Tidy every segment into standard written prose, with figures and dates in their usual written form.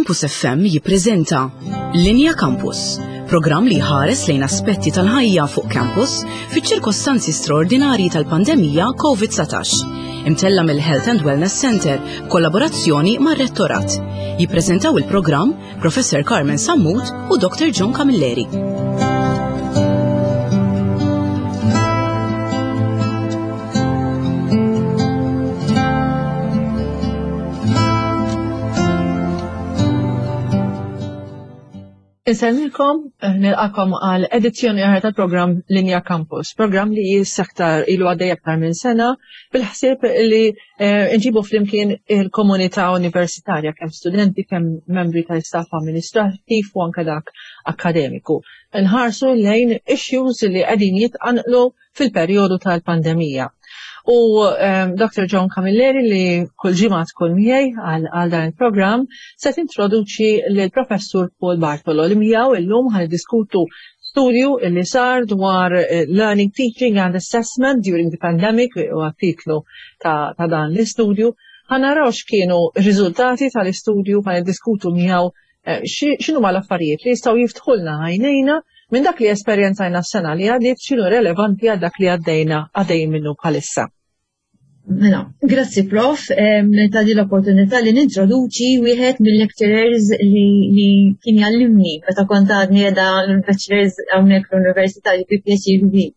Campus FM jippreżenta Linja Campus, programm li jħares lejn aspetti tal-ħajja fuq campus fiċ-ċirkostanzi straordinarji tal-pandemija COVID-19. Imtella mill-Health and Wellness Center b'kollaborazzjoni mar-Rettorat. Jippreżentaw il-programm Professor Carmen Sammut u Dr. John Camilleri. Insellmilkom, eh, nilqakom għal edizzjoni oħra tal-programm Linja Campus, programm li jissaktar ilu għaddej aktar minn sena bil-ħsieb li eh, nġibu flimkien il-komunità universitarja kemm studenti, kemm membri tal-istaff amministrattiv u anke dak akademiku. Nħarsu lejn issues li qegħdin jitqanqlu fil-perjodu tal-pandemija. U ehm, Dr. John Camilleri li kull ġimgħa tkun miegħi għal dan il-programm se tintroduċi lil professur Paul Bartolo li miegħu illum ħan diskutu studju li sar dwar eh, Learning, Teaching and Assessment during the Pandemic u titlu ta', ta dan l-istudju. Ħanaraw x'kienu r-riżultati tal-istudju ħan diskutu miegħu Eh, x'inhuma l-affarijiet li jistgħu jiftħulna għajnejna minn dak li esperjenzajna s-sena li għaddiet x'inhu relevanti għal dak li għaddejna għaddej minnu bħalissa. Mela, grazzi prof, ta' din l-opportunità li nintroduċi wieħed mill-lecturers li, li kien jallimni meta kont għadni qiegħda l-bachelors hawnhekk l-università li bi pjaċir kbir.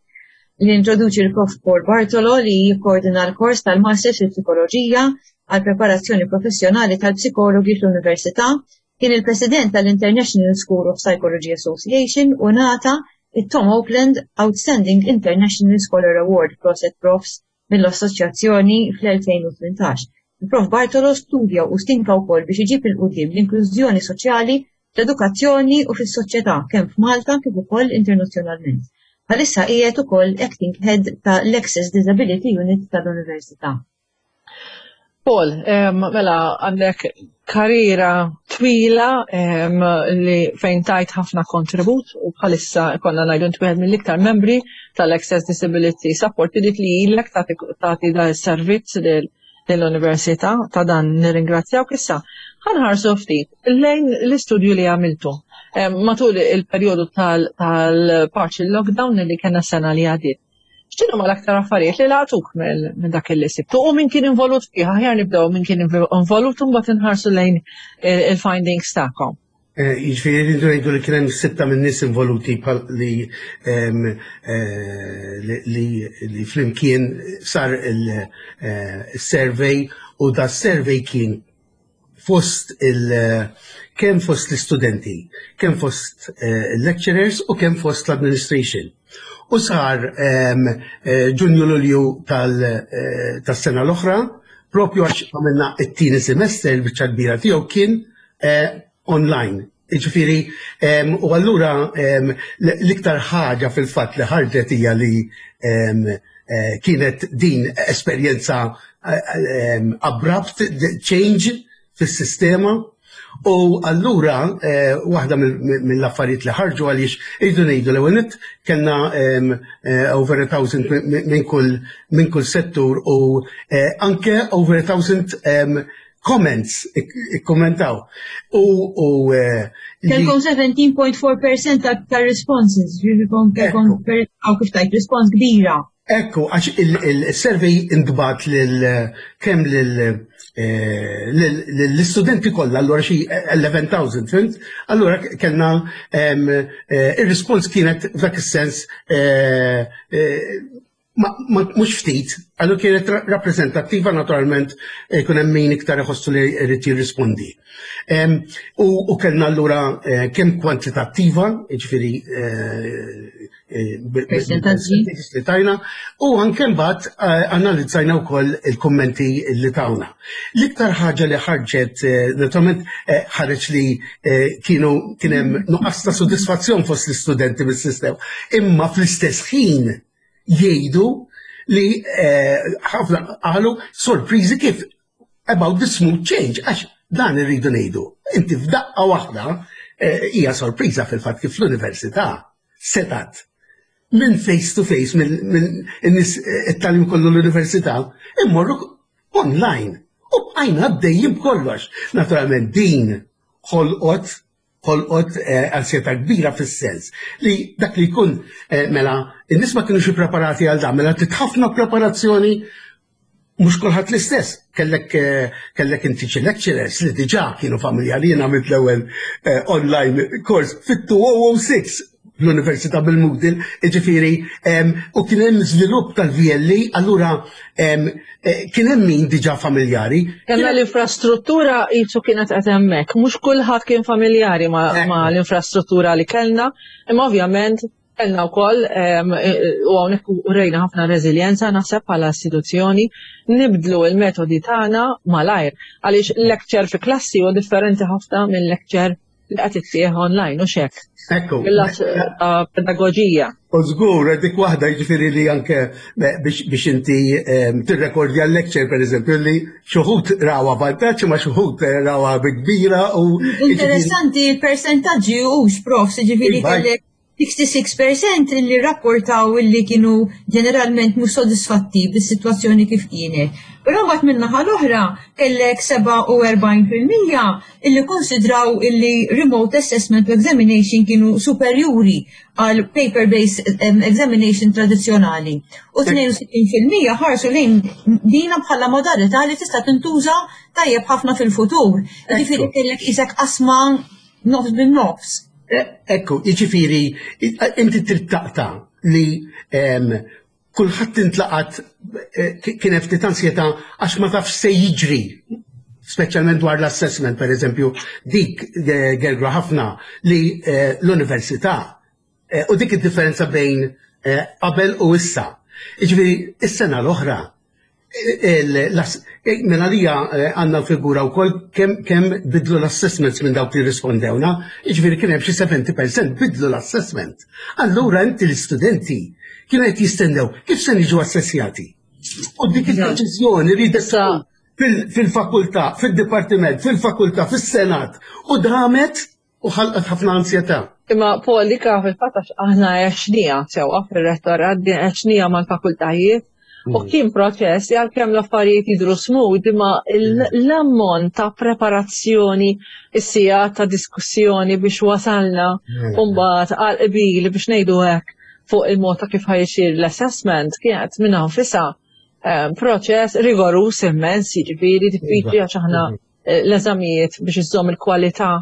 Li introduċi l-prof Paul Bartolo li jikkoordina l-kors tal-Masters fil-Psikoloġija għal preparazzjoni professjonali tal-psikologi fl-Università, kien il-President tal-International School of Psychology Association u ngħata it-Tom Oakland Outstanding International Scholar Award Proset Profs mill-Assoċjazzjoni fl-2018. Il-Prof Bartolo studja u stinka wkoll biex iġib 'il quddiem l-inklużjoni soċjali fl-edukazzjoni u fis-soċjetà kemm f'Malta kif ukoll internazzjonalment. Bħalissa qiegħed ukoll Acting Head ta' l-Access Disability Unit tal-Università. Paul, mela għandek karriera twila li fejn tajt ħafna kontribut u bħalissa konna ngħidu int wieħed mill-iktar membri tal-Access Disability Support li li ilek tagħti da servizz lill-Università ta' dan nirringrazzjawk issa. Ħanħarsu ftit lejn l-istudju li għamiltu matul il-perjodu tal-partial lockdown li kena sena li għadiet. X'inhu ma l-aktar affarijiet li laqtuk minn dak li sibtu u min kien involut fih, aħjar nibdew min kien involut u mbagħad inħarsu lejn il-findings tagħkom. Eh, jiġifieri rridu ngħidu li kien hemm sitta minn nies involuti li eh, li flimkien sar il-survey eh, u da survey kien fost il kemm fost l-istudenti, kemm fost eh, lecturers u kemm fost l-administration. U sar ehm, eh, Ġunju Lulju eh, tas-sena l-oħra, propju għax għamilna it-tieni semester il-biċċa kbira tiegħu kien online. Ġifieri, ehm, u allura ehm, l-iktar ħaġa fil-fatt li ħarġet hija li eh, kienet din esperjenza eh, abrupt change fis-sistema U allura eh, waħda mill-affarijiet li ħarġu għaliex irridu ngħidu l-ewwel nett kellna over a thousand minn kull minn kull settur u anke over a thousand comments ikkommentaw. U u eh, Kelkom 17.4% ta' responses, ġifieri kelkom għaw kif tajt respons kbira. Ekku, għax il-survey intbat lil kemm lil eh, l-istudenti kollha, allura xi 11,000, fint? Allura kellna eh, ir-respons kienet f'dak is-sens mhux ftit, għallu kienet rappreżentattiva naturalment eh, kun hemm min iktar iħossu li jrid jirrispondi. U kellna allura eh, kemm kwantitattiva, jiġifieri eh, li tajna, u anke mbagħad analizzajna wkoll il-kummenti li tawna. L-iktar ħaġa li ħarġet, naturalment ħareġ li kienu kien hemm nuqqas ta' sodisfazzjon fost l-istudenti mis-sistema, imma fl-istess ħin jgħidu li eh, ħafna qalu sorpriżi kif about the smooth change, għax dan irridu ngħidu. Inti f'daqqa waħda eh, hija sorpriża fil-fatt kif l-università setat minn face to face minn nies eh, it-talim kollu l-università immorru online. U bqajna għaddejjin b'kollox. Naturalment din. ħolqot ħolqot eh, ansjetà kbira fis-sens li dak li jkun eh, mela in-nies ma kienux ippreparati għal dan, mela trid ħafna preparazzjoni mhux kulħadd l-istess. Kellek eh, kellek inti xi lecturers li diġà kienu familjari jien għamilt l-ewwel online course fit-2006 l-Università bil-Moodle, ġifiri, u kien hemm żvilupp tal-VLE, allura eh, kien hemm min diġà familjari. Kellna l-infrastruttura jisu kienet qed hemmhekk, mhux kulħadd kien familjari ma' l-infrastruttura li kellna, imma ovvjament kellna wkoll u hawnhekk urejna ħafna reżiljenza naħseb bħala istituzzjoni nibdlu l-metodi tagħna malajr għaliex lecture fi klassi huwa differenti ħafna minn lecture li qed ittieħ online u xek. Ekku. Mill-lat eh, pedagoġija. U żgur, dik waħda jiġifieri li anke eh, biex inti ehm, tirrekordja l-lecture pereżempju li xuħut rawa vantaġġ ma xuħut eh, rawa bi kbira u. Interessanti il-persentaġġi hux prof, jiġifieri iva. kellek 66% li rrapportaw illi kienu ġeneralment mhux sodisfatti bis-sitwazzjoni kif kienet. Però mbagħad min-naħa l-oħra kellek 47% illi konsidraw illi remote assessment u examination kienu superjuri għal paper-based examination tradizzjonali. U 62% ħarsu lejn dina bħala modalità li tista' tintuża tajjeb ħafna fil-futur. Jiġifieri kellek isek qasma nofs bin-nofs. E, ekku, jiġifieri inti trid taqta' li kulħadd intlaqat e, kien hemm ftit ansjetà għax ma tafx se jiġri speċjalment dwar l-assessment per eżempju, dik e, gergra ħafna li l-università u dik id-differenza bejn qabel u issa. Jiġifieri, is-sena l-oħra Mela lija eh, għandna figura wkoll kemm bidlu l-assessments minn dawk li rispondewna, jiġifieri kien hemm xi 70% bidlu l-assessment. Allura inti l-istudenti kienu qed jistennew kif se niġu assessjati. U dik il-deċiżjoni li fil-fakultà, fil-dipartiment, fil-fakultà, fis-senat u damet u ħalqet ħafna ansjetà. Imma Paul dik fil-fatt għax aħna għexnija sewwa fir-rettorat, għexnija mal-fakultajiet u mm. kien proċess li għalkemm l-affarijiet jidhru smooth imma mm. l-ammont ta' preparazzjoni is-sija ta' diskussjoni biex wasalna mm. u mbagħad għal qbil biex ngħidu hekk fuq il-mod ta' kif ħajxir l-assessment kienet minnha nfisha eh, proċess rigorus immens, jiġifieri diffiċli għax aħna mm. Eh, l-eżamijiet biex iżżomm il-kwalità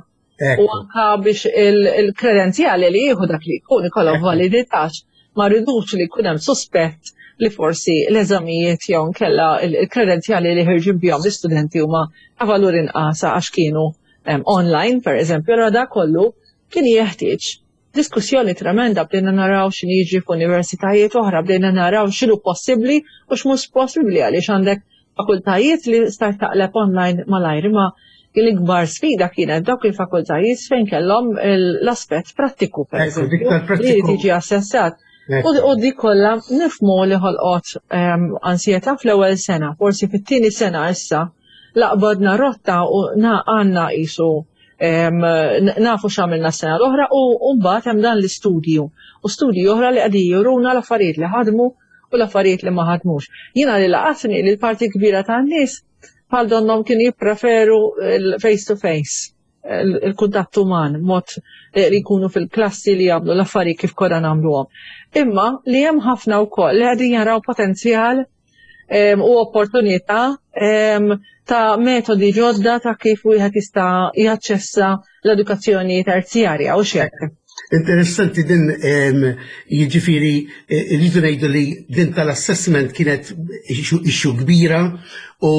u anka biex il-kredenzjali li jieħu dak li jkun ikollhom validità ma rridux li jkun hemm suspett li forsi l-eżamijiet jew nkella il-kredenzjali li ħirġin bihom l-istudenti huma ta' valur inqas għax kienu online, per eżempju, allura da kollu kien jeħtieġ diskussjoni tremenda bdejna naraw x'inhi jiġri f'universitajiet oħra, bdejna naraw x'inhu possibbli u x'mhux possibbli għaliex għandek fakultajiet li stajt taqleb online malajr imma l-ikbar sfida kienet dawk il-fakultajiet fejn kellhom l-aspett prattiku per eżempju li tiġi assessat. U dik kollha nifmu li ħolqot ehm, ansjetà fl-ewwel sena, forsi fit-tieni sena issa laqbadna rotta u għandna qisu nafu x'għamilna s-sena l-oħra u mbagħad hemm dan l-istudju u studji oħra li qegħdin juruna l-affarijiet li ħadmu u l-affarijiet li ma ħadmux. Jiena li laqatni li l-parti kbira tan-nies bħal donnom kienu jippreferu l-face to face il-kuntatt uman, mod li jkunu fil-klassi li jagħmlu l-affarijiet kif konna nagħmluhom. Imma li hemm ħafna wkoll li qegħdin jaraw potenzjal u opportunità ta' metodi ġodda ta' kif wieħed jista' jaċċessa l-edukazzjoni terzjarja u x'hekk. Interessanti din jiġifieri eh, rridu ngħidu li din tal-assessment kienet issue kbira u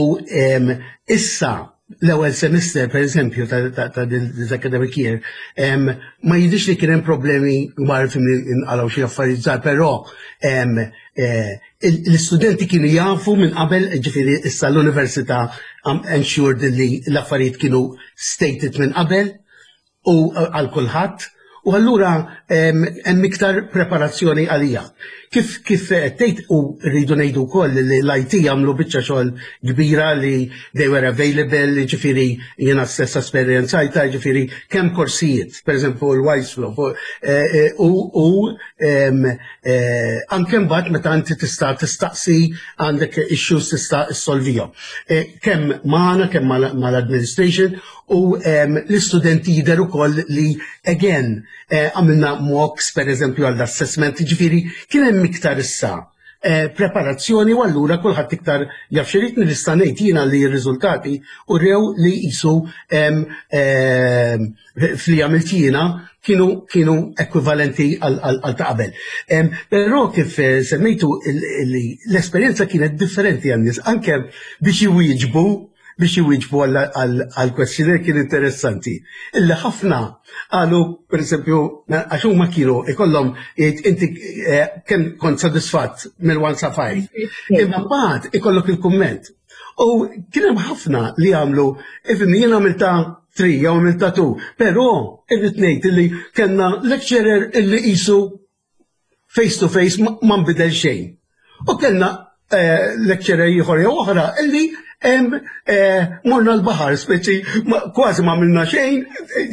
issa l-ewwel semester per eżempju ta' this academic year ma jidhirx li kien hemm problemi kbar fim inqalgħu xi affarijiet żgħar, però eh, l-istudenti kienu jafu minn qabel, ġifieri issa l-università ensured li l-affarijiet kienu stated minn qabel u eh, għal kulħadd u allura hemm iktar preparazzjoni għalija. Kif kif tgħid u rridu ngħidu wkoll li l-IT għamlu biċċa xogħol kbira li they were available, ġifieri jiena stess esperjenzajta, ġifieri kemm korsijiet, pereżempju l-Wiseflow, eh, eh, u u eh, anke mbagħad meta inti tista' tistaqsi għandek issues tista' issolvihom. Kemm magħna, kemm mal-administration u l-istudenti jidher ukoll li again Eh, għamilna mocks per eżempju għall-assessment, ġifiri kien hemm iktar issa eh, preparazzjoni u allura kulħadd iktar jaf x'irid nista' ngħid jiena li r-riżultati u rew li jisu fli għamilt jiena kienu kienu ekwivalenti għal ta' qabel. Però kif eh, semmejtu l-esperjenza kienet differenti għan-nies anke biex iwieġbu biex iwieġbu għal questionnaire kien interessanti. Illi ħafna qalu, per eżempju, għax huma kienu ikollhom jgħid inti eh, kemm kont sodisfatt mill-1 sa 5. Imma mbagħad ikollok il-kumment. U kien hemm ħafna li għamlu, ifhimni jien għamilta 3 jew għamilta 2, però irrid ngħid illi kellna lecturer illi qisu face to face ma nbidel xejn. U kellna eh, lecturer ieħor jew oħra illi eh, morna l-baħar, speċi kważi ma minna xejn,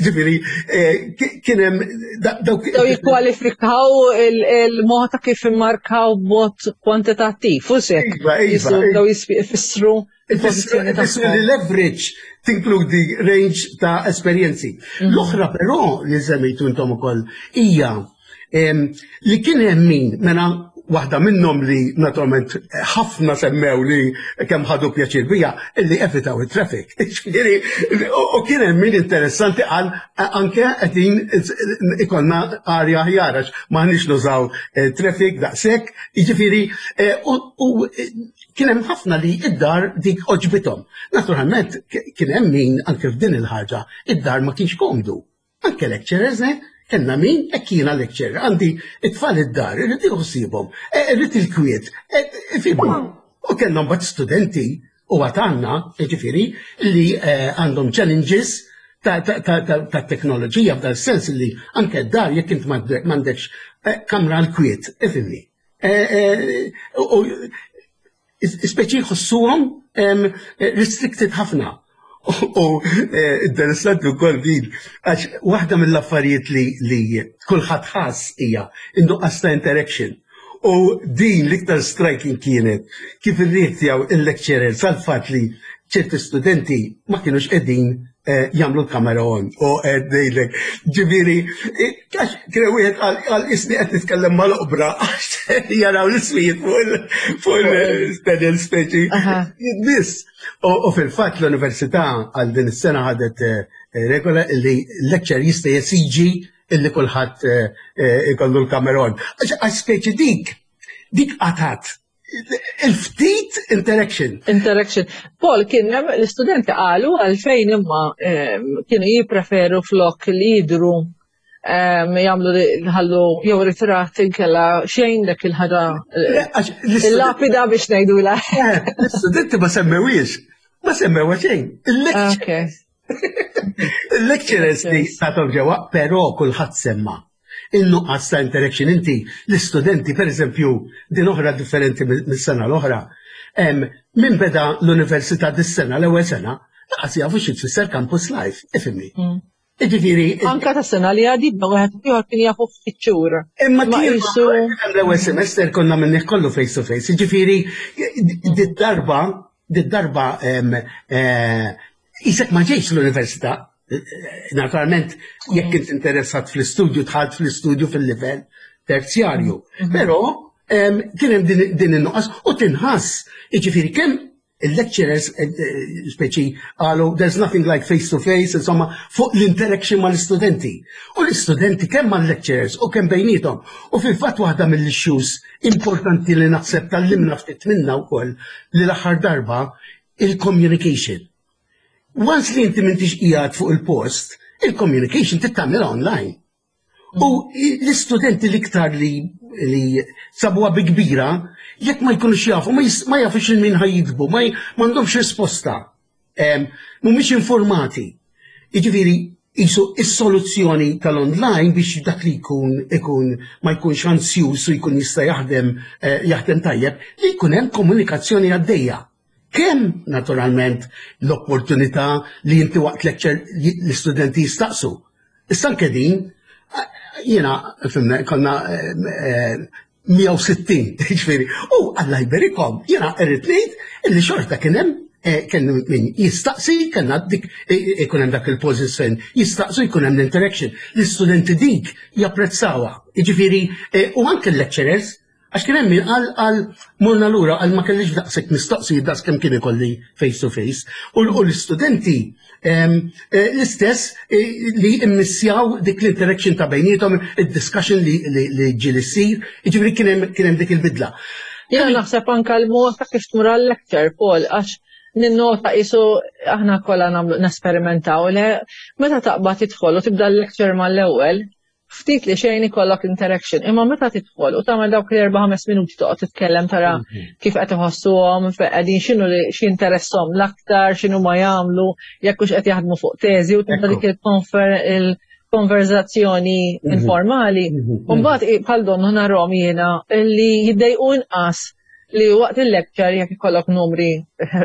ġifieri eh, kien hemm dawk. Daw jikkwalifikaw il-mod ta' kif immarkaw b'mod kwantitattiv, u sekk. Iva, iva. Daw jfissru il-pożizzjoni tagħhom. li leverage tinkludi range ta' esperjenzi. Mhm. L-oħra però li semmejtu intom ukoll hija li kien hemm min mela waħda minnhom li naturalment ħafna semmew li kemm ħadu pjaċir bija illi evitaw it-traffic. U kien hemm min interessanti qal anke qegħdin ikollna arja aħjar għax m'aħniex nużaw eh, traffic daqshekk, jiġifieri eh, u kien hemm ħafna li id-dar dik oġbithom. Naturalment kien hemm min anke f'din il-ħaġa id-dar ma kienx komdu. Anke lecturers, eh? Kellna min, hekk jiena lecturer, għandi it-tfal id-dar, irrid nieħu ħsiebhom, eh, irrid il-kwiet, eh, ifhimni. U kellna mbagħad studenti u għad għandna, jiġifieri, li eh, għandhom challenges ta' teknoloġija f'dal sens li anke d-dar jekk int m'għandekx kamra l-kwiet, ifhimni. U speċi jħossuhom restricted ħafna. U eh, interessanti wkoll din, għax waħda mill-affarijiet li, li kulħadd ħass hija in-nuqqas ta' interaction. U din l-iktar striking kienet kif irrieħ il-lecturer sal-fatt li ċerti studenti ma kienux qegħdin eh, jagħmlu l-kamera on u qed ngħidlek. Ġifieri, eh, għax kien wieħed għal isni qed nitkellem mal-oqbra għax jaraw l-ismijiet fuq il-panel speċi. Biss. U fil-fatt l-università għal din is-sena ħadet eh, regola li l-lecture jista' jesiġi illi kulħadd ikollu l-kamera on. Għax speċi dik, dik qatat il-ftit interaction. Interaction. Paul, kien hemm l-istudenti qalu għalfejn imma ehm, kienu jippreferu flok li jidru ehm, jagħmlu ħallu jew ritratt inkella xejn dak il-ħaġa il-lapida biex ngħidula. Eh, l-istudenti ma semmewiex, ma semmewa xejn. Il-lecturers li satom ġewwa, però kulħadd semma. In-nuqqas ta' interaction inti l-istudenti, per eżempju, din oħra differenti mis-sena l-oħra, minn beda l-università dis-sena l-ewwel sena, laqas jafu xi tfisser campus life, ifhimni. Mm. Ġifieri. Anka ta' sena li għadid ma wieħed ieħor kien jafu ftit xhur. Imma kien l-ewwel semester konna minnih kollu face to face. Ġifieri did-darba did-darba eh, Isek ma ġejx l-università, naturalment jekk int interessat fl-istudju tħalt fl-istudju fil-livell terzjarju. Mhm. Però kien hemm din in-nuqqas u tinħass, jiġifieri kemm il-lecturers eh, eh, speċi qalu there's nothing like face to face, insomma, fuq l-interaction mal-istudenti. U l-istudenti kemm mal-lecturers u kemm bejnietom. U fil-fatt waħda mill-issues importanti li naħseb tal-limna ftit minna wkoll li l-aħħar darba il-communication. Once li inti m'intix qiegħed fuq il-post, il-communication tittamel online. U l-istudenti l-iktar li li sabuha bi kbira, jekk ma jkunux jafu, ma jafux il-min ħajjidbu, ma m'għandhomx risposta. Mhumiex informati. Jiġifieri, Isu is-soluzzjoni tal-online biex dak li jkun ikun ma jkunx ansjus u jkun jista' jaħdem eh, jaħdem tajjeb li jkun hemm komunikazzjoni għaddejja. Kemm naturalment l-opportunità li inti waqt lecture l-istudenti jistaqsu. Issa anke din jiena fimna konna 160, eh, ġifieri. U Alla jberikom, jiena irrid ngħid illi xorta kien hemm eh, kien min jistaqsi, kellna dik eh, ikun hemm dak il-position, jistaqsu jkun hemm l-interaction. L-istudenti dik japprezzawha. Jiġifieri u anke l-lecturers Għax kien hemm min qal qal morna lura qal ma kellix daqshekk mistoqsijiet daqs kemm kien ikolli face to face. U l-istudenti eh, l-istess eh, li immissjaw dik l-interaction ta' bejniethom, id-discussion li ġieli ssir, jiġifieri kien hemm dik il-bidla. Jiena naħseb anke l-mod ta' kif tmur għal-lecture, Paul, għax ninnota qisu aħna kollha nagħmlu nesperimentaw le meta taqbad tidħol u tibda l-lecture mal-ewwel, ftit li xejn ikollok interaction. Imma meta tidħol u tagħmel dawk l-erba' ħames minuti toqgħod titkellem tara mhm. kif qed iħossuhom, qegħdin x'inhu li x'interesshom l-aktar, x'inhu ma jagħmlu, jekk hux qed jaħdmu fuq teżi u tibda dik il-konverzazzjoni mhm. informali. Mhm. U mbagħad bħal donnu narhom jiena li jiddejqu inqas li waqt il-lecture jekk ikollok numri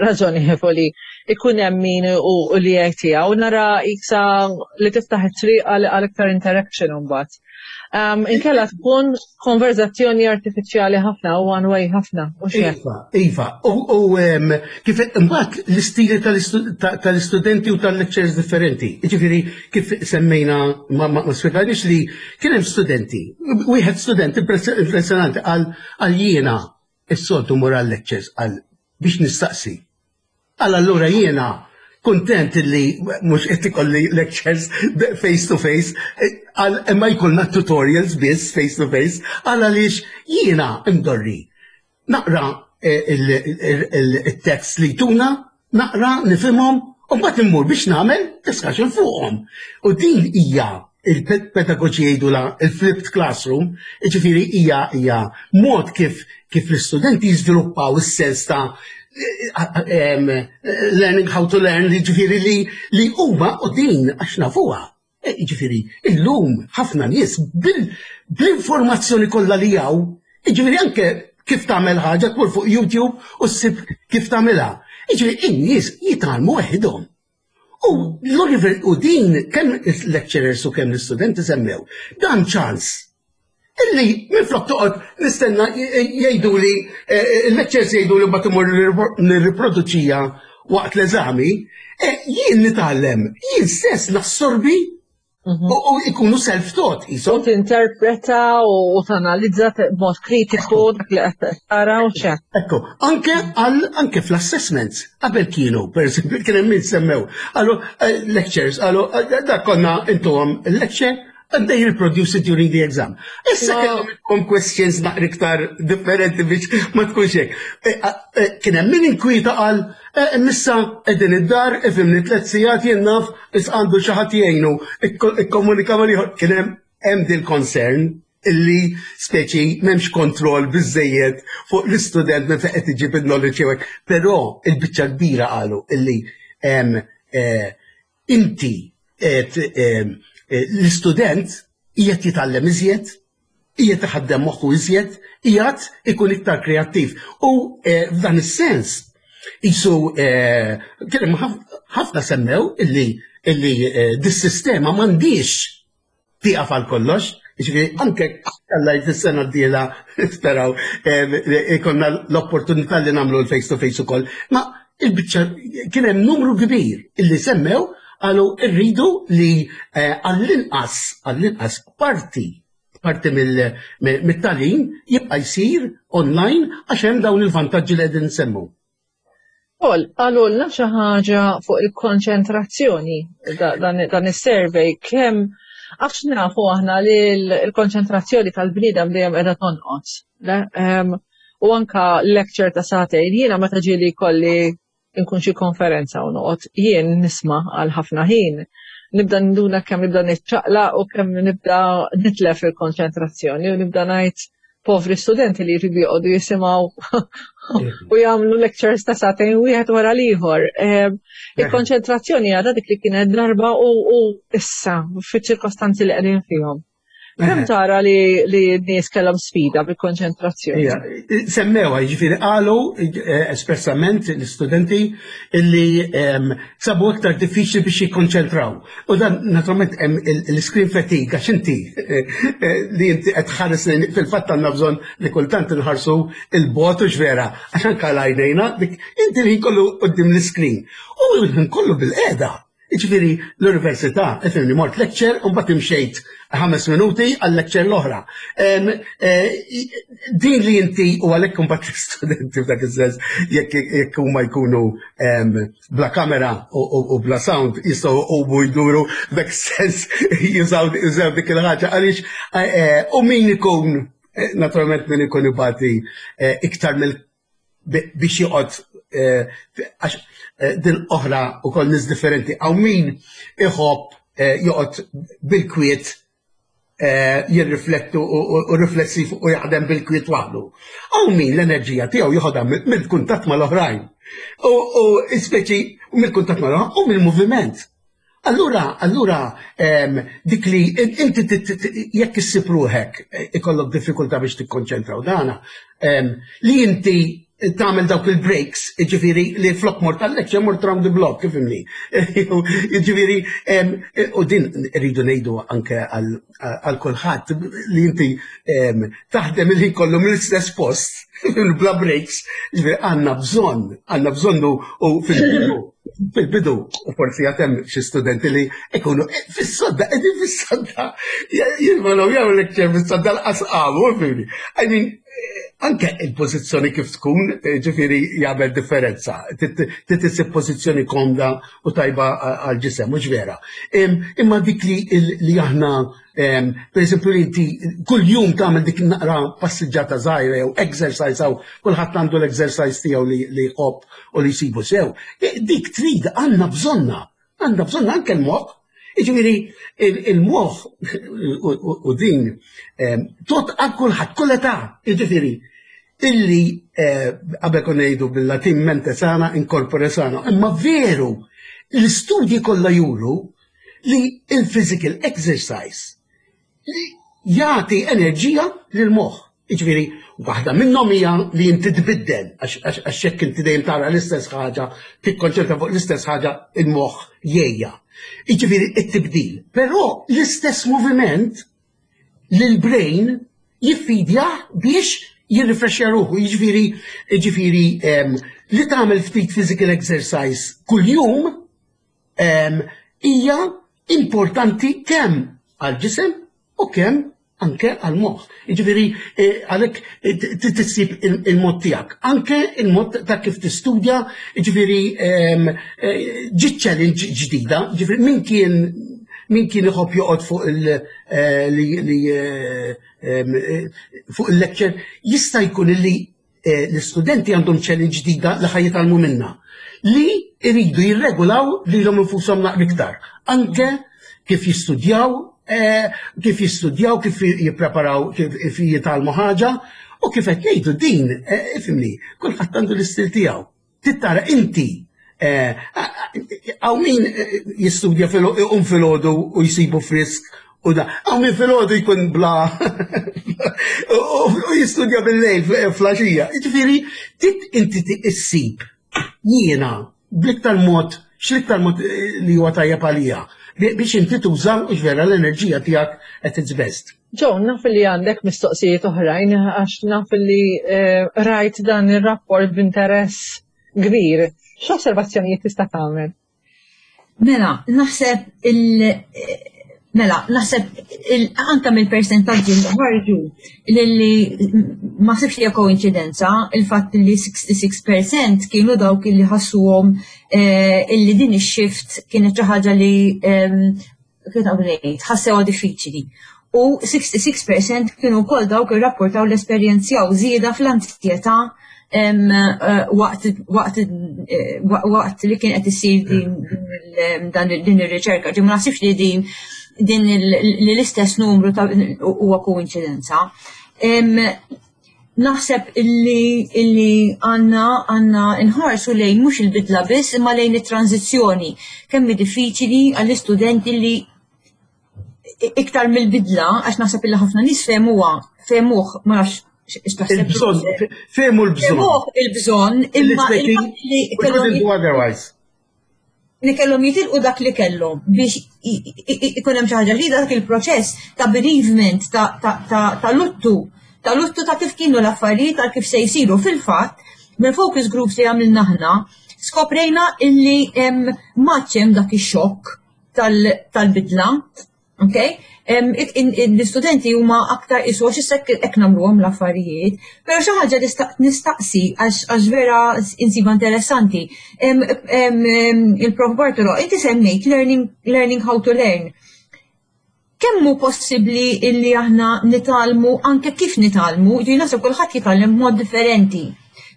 raġonevoli ikun hemm min u li jgħid tiegħu nara iksa li tiftaħ it-triq għal iktar interaction imbagħad. Um, inkella tkun konverzazzjoni artifiċjali ħafna u one way ħafna. U iva, iva, u kif imbagħad l-istili tal-istudenti u tal-lectures differenti. Jiġifieri kif semmejna ma spjegajniex li kien hemm studenti, wieħed student impressjonanti għal Għal jiena s-soltu mur għal lectures għal biex nistaqsi. Għal allura jiena kuntent li mhux qed ikolli lectures face to face, għal imma jkollna tutorials biss face to face, għal għaliex jiena imdorri naqra eh, il-tekst li tuna, naqra nifhimhom u mbagħad immur biex nagħmel discussion fuqhom. U din hija il-pedagoġi jgħidula il-flipped classroom, jiġifieri hija hija mod kif kif l-istudenti jiżviluppaw is-sens ta' learning how to learn, jiġifieri li li huma u din għax nafuha. E, jiġifieri illum ħafna nies bl-informazzjoni kollha li hawn, jiġifieri anke kif tagħmel ħaġa tmur fuq YouTube u ssib kif tagħmilha. Jiġifieri in-nies jitgħallmu weħidhom. U l-univer u din kemm il-lecturers u kemm l-istudenti semmew, dan ċans illi minflok toqgħod nistenna jgħidu li eh, il-lecturers jgħidu li mbagħad imur nirriproduċija waqt l-eżami, eh, jien nitgħallem, jien stess nassorbi Mhm. U ikunu self-taught, jisom. U tinterpreta u tanalizza b'mod kritiku dak li qed tara u xek. Ekku, anke għal anke fl-assessments, qabel kienu, per eżempju, kien hemm min semmew, għalu eh, lectures, għalu eh, dak konna intuhom lecture and they reproduce it during the exam. Issa kellhom questions naqra iktar differenti biex ma tkunx hekk. Eh, kien hemm min inkwieta qal Eh, missa qegħdin id-dar, ifimni tliet sigħat jien naf is għandu xi ħadd jgħinu, ikkomunika mal ieħor kien hemm hemm dil concern illi speċi m'hemmx kontroll biżejjed fuq l-istudent minn fejn qed iġib il-knowledge jew hekk. Però il-biċċa kbira qalu illi eh, inti l-istudent qiegħed jitgħallem iżjed, qiegħed iħaddem moħħu iżjed, qiegħed ikun iktar kreattiv. U eh, f'dan is-sens, isu eh, kien ħafna semmew illi illi eh, dis-sistema m'għandix tieqaf għal kollox, jiġifieri anke alla jt-sena d-dieħla speraw ikonna l-opportunità li nagħmlu l-face to face ukoll. Ma il-biċċa kien hemm numru kbir illi semmew qalu rridu li eh, għall-inqas għall-inqas parti parti mill-tagħlim jibqa' jsir online għax hemm dawn il-vantaġġi li qegħdin nsemmu. Paul, qalulna xi ħaġa fuq il-konċentrazzjoni dan is-survey kemm għax nafu aħna li l-konċentrazzjoni tal-bniedem dejjem qiegħda tonqos. U anka lecture ta' sagħtejn jiena meta ġieli kolli nkun xi konferenza u noqgħod jien nisma' għal ħafna ħin nibda nduna kemm nibda niċċaqla u kemm nibda nitlef il-konċentrazzjoni u nibda ngħid. Povri studenti li jridu joqogħdu jisimgħu u jagħmlu lectures ta' sagħtejn wieħed wara l-ieħor. Il-konċentrazzjoni għadha dik li kienet darba u issa fiċ-ċirkostanzi li qegħdin fihom. Kemm tara li li n-nies kellhom sfida bil-konċentrazzjoni? Semmewa, jiġifieri qalu eh, espressament l-istudenti illi ehm, sabu aktar diffiċli biex jikkonċentraw. U dan naturalment hemm l-screen fatigue għax inti eh, eh, li inti qed tħares fil-fatt għandna bżonn li kultant inħarsu il-bot u vera għax anke għajnejna dik inti li kollu qudiem l-screen. U kollu bil-qeda. Jiġifieri l-università, ifhimni, mort lecture u mbagħad imxejt ħames minuti għal lecture l-oħra. Eh, din li inti u għalhekk imbagħad l-istudenti f'dak is-sens jekk huma jkunu bla kamera u bla sound jistgħu ubu jduru f'dak is-sens jużaw dik il-ħaġa għaliex eh, eh, u min ikun naturalment min ikun ibati iktar mill biex joqgħod eh, għax eh, din oħra ukoll nies differenti hawn min iħobb eh, joqgħod bil-kwiet jirriflettu u riflessiv u jaħdem bil-kwiet waħdu. Hawn min l-enerġija tiegħu joħodha mill-kuntatt mal-oħrajn. U speċi mill-kuntatt mal-oħrajn u mill-moviment. Allura, allura dik li inti jekk issib ruħek eh, ikollok diffikultà biex tikkonċentra u dana, li inti tagħmel dawk il-breaks, jiġifieri li flok mort tal-lecture mort round the block, kif imni. Jiġifieri u din rridu ngħidu anke għal kulħadd li inti taħdem il-ħin kollu mill-istess post, bla breaks, jiġifieri għandna bżonn, għandna bżonn u fil-bidu Fil-bidu, u forsi għatem xi studenti li ikunu eh, fis-sodda, qegħdin fis-sodda, jilmanu jew lecture fis-sodda l-qasqamu, fili. I mean, eh, anke il-pożizzjoni kif tkun, eh, ġifieri jagħmel differenza. Titisib pożizzjoni komda u tajba għal-ġisem, mhux vera. Imma dik li aħna Per eżempju, li inti kull jum tagħmel dik naqra passiġġata żgħira jew exercise hawn kulħadd għandu l-exercise tiegħu li jħobb u li jsibu sew. E, dik trid għandna bżonna, għandna bżonna anke l-moħħ. Jiġifieri il-moħħ u din tot għal kulħadd kull età, jiġifieri illi eh, qabel konna ngħidu bil-Latin mente sana in corpore sano, imma veru l-istudji kollha juru li il-physical exercise li jagħti enerġija lil moħħ. Jiġifieri, waħda minnhom hija li inti tbiddel għax jekk inti dejjem tara l-istess ħaġa, tikkonċentra fuq l-istess ħaġa, il-moħħ jgħejja. Jiġifieri it-tibdil. Però l-istess moviment lil brain jiffidja biex jirrifrexja ruħu, jiġifieri jiġifieri ehm, li tagħmel ftit physical exercise kuljum hija importanti kemm għall-ġisem u kemm anke għall-moħħ. Jiġifieri eh, għalhekk eh, tissib il-mod tiegħek, anke il-mod ta' kif tistudja, jiġifieri ehm, eh, ġi challenge ġdida, jiġifieri min kien min kien iħobb joqgħod fuq il li ehm, fuq il-lecture jista' jkun li Eh, l-istudenti għandhom challenge ġdida li ħaj jitgħallmu minna li jridu jirregolaw lilhom infushom naqra iktar. Anke kif jistudjaw, eh, kif jistudjaw, kif jippreparaw, kif jitgħallmu ħaġa u kif qed ngħidu din, eh, ifhimni, kulħadd għandu l-istil tiegħu. Tittara inti Għaw eh, min eh, jistudja um filgħodu u jsibu frisk u da. Għaw min filgħodu jkun bla u jistudja bil-lejl flaxija. Ġifieri, tit inti issib jiena bl-iktar mod x'l-iktar mod eh, li huwa tajjeb għalija biex inti tuża u vera l-enerġija tiegħek at its best. John, naf li għandek mistoqsijiet oħrajn għax naf li rajt dan ir-rapport b'interess kbir. X'osservazzjonijiet tista' tagħmel? Mela, naħseb il- Mela, naħseb anka mill-persentaġġi li ħarġu li ma sibx li koinċidenza il-fatt li 66% kienu dawk li ħassuhom eh, illi din ix-shift kienet xi ħaġa li ehm, kif naqbel ngħid, ħassewha diffiċli. U 66% kienu wkoll dawk irrapportaw l-esperjenzjaw żieda fl-anzjetà eh, waqt eh, waqt li kien qed isir din din ir-riċerka. Ġi ma naħsibx li din din l-istess numru huwa koinċidenza. Naħseb illi illi għandna għandna nħarsu lejn mhux il-bidla biss imma lejn it-tranżizzjoni. Kemm hi diffiċili għall-istudenti li iktar mill-bidla, għax naħseb illi ħafna nies fehmuha, fehmuh, ma nafx x'taħseb. Il-bżonn, fehmu l-bżonn. Fehmuh il-bżonn, imma li kellhom otherwise. Li kellhom jitilqu dak li kellhom biex ikun hemm xi ħaġa ġdida dak il-proċess ta' bereavement ta' luttu ta' luttu ta' kif kienu l-affarijiet ta' kif se jsiru fil-fatt mill-focus groups li għamilna aħna skoprejna illi m'għadx hemm dak ix-xokk tal-bidla. Ok? L-istudenti huma aktar isu għax issa hekk nagħmluhom l-affarijiet, però xi ħaġa li nistaqsi għax vera insiba interessanti. Il-Prof Bartolo, inti semmejt learning, learning how to learn. Kemm hu possibbli illi aħna nitgħallmu anke kif nitgħallmu, ġi naħseb kulħadd jitgħallem b'mod differenti.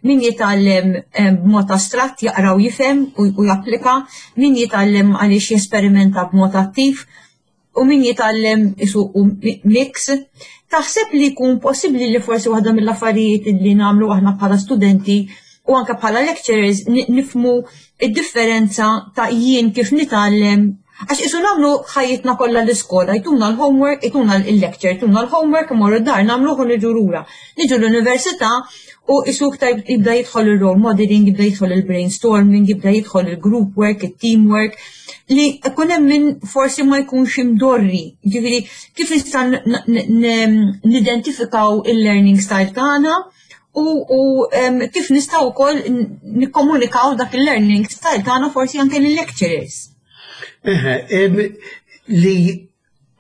Min jitgħallem b'mod astratt jaqra u jifhem u japplika, min jitgħallem għaliex jesperimenta b'mod attiv, u min jitgħallem isu mix. Taħseb li jkun possibbli li forsi waħda mill-affarijiet li nagħmlu aħna bħala studenti u anke bħala lecturers nifmu id-differenza ta' jien kif nitgħallem għax isu nagħmlu ħajjitna kollha l-iskola, jtuna l-homework, jtuna l-lecture, jtuna l-homework, imorru d-dar nagħmluh u niġu lura. Niġu l-università u isu iktar jibda jidħol il-role modeling, jibda jidħol il-brainstorming, jibda jidħol il-group work, il-teamwork, li ikun hemm min forsi ma jkunx imdorri. Ġifieri kif nista' nidentifikaw il-learning style tagħna u kif nistgħu wkoll nikkomunikaw dak il-learning style tagħna forsi anke lill-lecturers. Eħe, li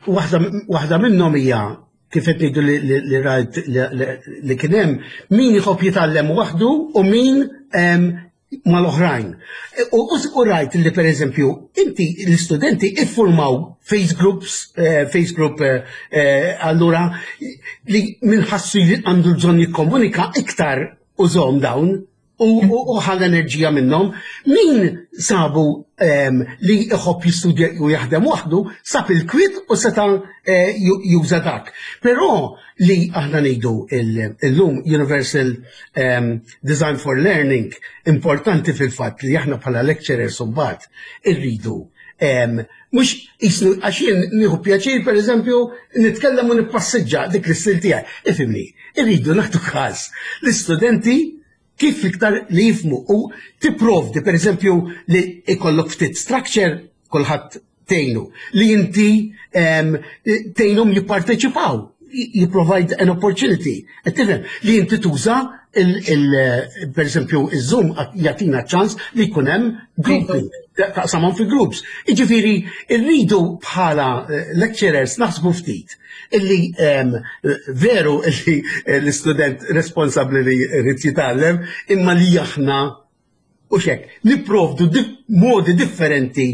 waħda minnhom hija kif qed ngħidu li rajt li kien hemm min jħobb jitgħallem waħdu u min mal-oħrajn. U rajt li per eżempju, inti l-istudenti iffurmaw face groups, eh, face group eh, eh, allura li minħassu li għandu bżonn jikkomunika iktar użhom dawn u ħa l-enerġija minnhom. Min sabu li iħobb jistudja u jaħdem waħdu, sab il-kwit u seta' eh, juża dak. Però li aħna ngħidu illum Universal Design for Learning importanti fil-fatt li aħna bħala lecturers mbagħad irridu mhux jisnu għax jien nieħu pjaċir pereżempju nitkellem u nippassiġġa dik l-istil tiegħi. Ifhimni, irridu nagħtu każ l-istudenti kif iktar li jifmu u tipprovdi pereżempju li ikollok ftit structure kulħadd tgħinu li inti tgħinhom jipparteċipaw you provide an opportunity. Qed tifhem li inti tuża per eżempju iż-Zoom jagħtina ċans li jkun hemm grouping, taqsamhom fi groups. Jiġifieri rridu bħala eh, lecturers naħsbu ftit illi veru illi l-istudent responsabbli li jrid jitgħallem imma li aħna U xek, nipprovdu modi differenti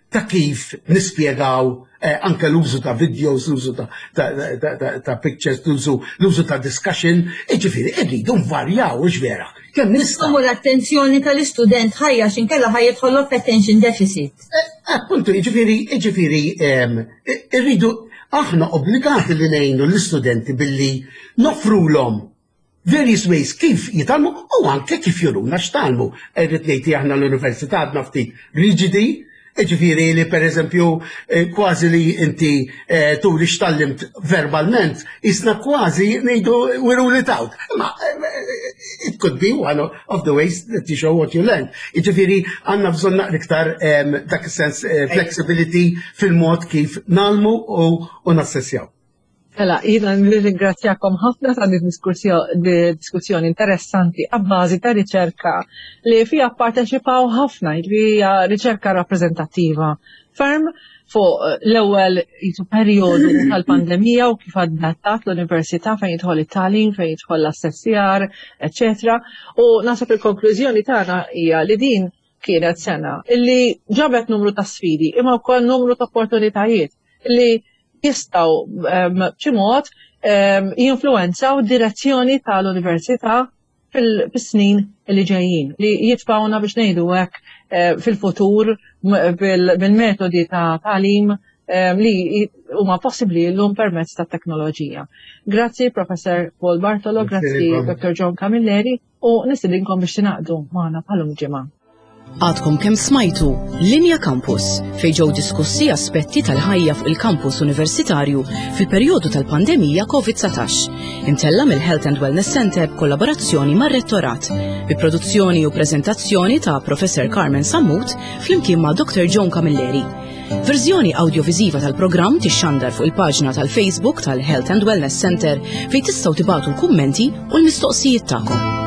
ta' kif nispjegaw eh, anke l-użu ta' videos, l-użu ta', ta, ta, ta, ta pictures, l-użu ta' discussion, iġifieri irridu nvarjaw, ux vera. Kemm nistgħu. l-attenzjoni tal-istudent ħajja x'inkella ħaj jidħollok attention deficit. Eh, appuntu, jiġifieri, jiġifieri ehm, irridu aħna obbligati li ngħinu l-istudenti billi nofrulhom various ways kif jitgħallmu u anke kif juruna x'tgħallmu. Irrid ngħid li aħna l-università għadna ftit riġidi, ġifieri li pereżempju eh, kważi li inti eh, turi x'tallimt verbalment, isna kważi ngħidu we rule it out. Ma eh, it could be one of the ways that you show what you learned. Ġifieri għandna bżonn naqra iktar dak is-sens flexibility fil-mod kif nagħlmu u nassessjaw. Mela, jiena nirringrazzjakom ħafna ta' din diskussjoni interessanti għabbażi ta' riċerka li fija parteċipaw ħafna, li hija riċerka rappreżentattiva ferm fuq l-ewwel jisu perjodu tal-pandemija u kif adattat l-università fejn jidħol it-tagħlim, fejn jidħol l-assessjar, eċetera. U naħseb il-konklużjoni tagħna hija li din kienet sena illi ġabet numru ta' sfidi imma wkoll numru ta' opportunitajiet li jistgħu ehm, b'xi mod ehm, jinfluwenzaw direzzjoni tal-università fil-snin li ġejjin li jitfawna biex ngħidu hekk eh, fil-futur bil-metodi ta' tagħlim li huma possibbli llum permezz tat-teknoloġija. Grazzi Professor Paul Bartolo, grazzi Dr. John Camilleri u nistedinkom biex tingħaqdu magħna bħalum ġimgħa. Għadkom kemm smajtu Linja Campus fejn ġew diskussi aspetti tal-ħajja fuq il-kampus universitarju fil-perjodu tal-pandemija COVID-19. Imtella mill-Health and Wellness Center b'kollaborazzjoni mar-Rettorat, bi produzzjoni u preżentazzjoni ta' Professor Carmen Sammut flimkien ma' Dr. John Camilleri. Verżjoni awdjoviżiva tal-programm tixxandar fuq il-paġna tal-Facebook tal-Health and Wellness Center fejn tistgħu tibagħtu l-kummenti u l-mistoqsijiet tagħkom.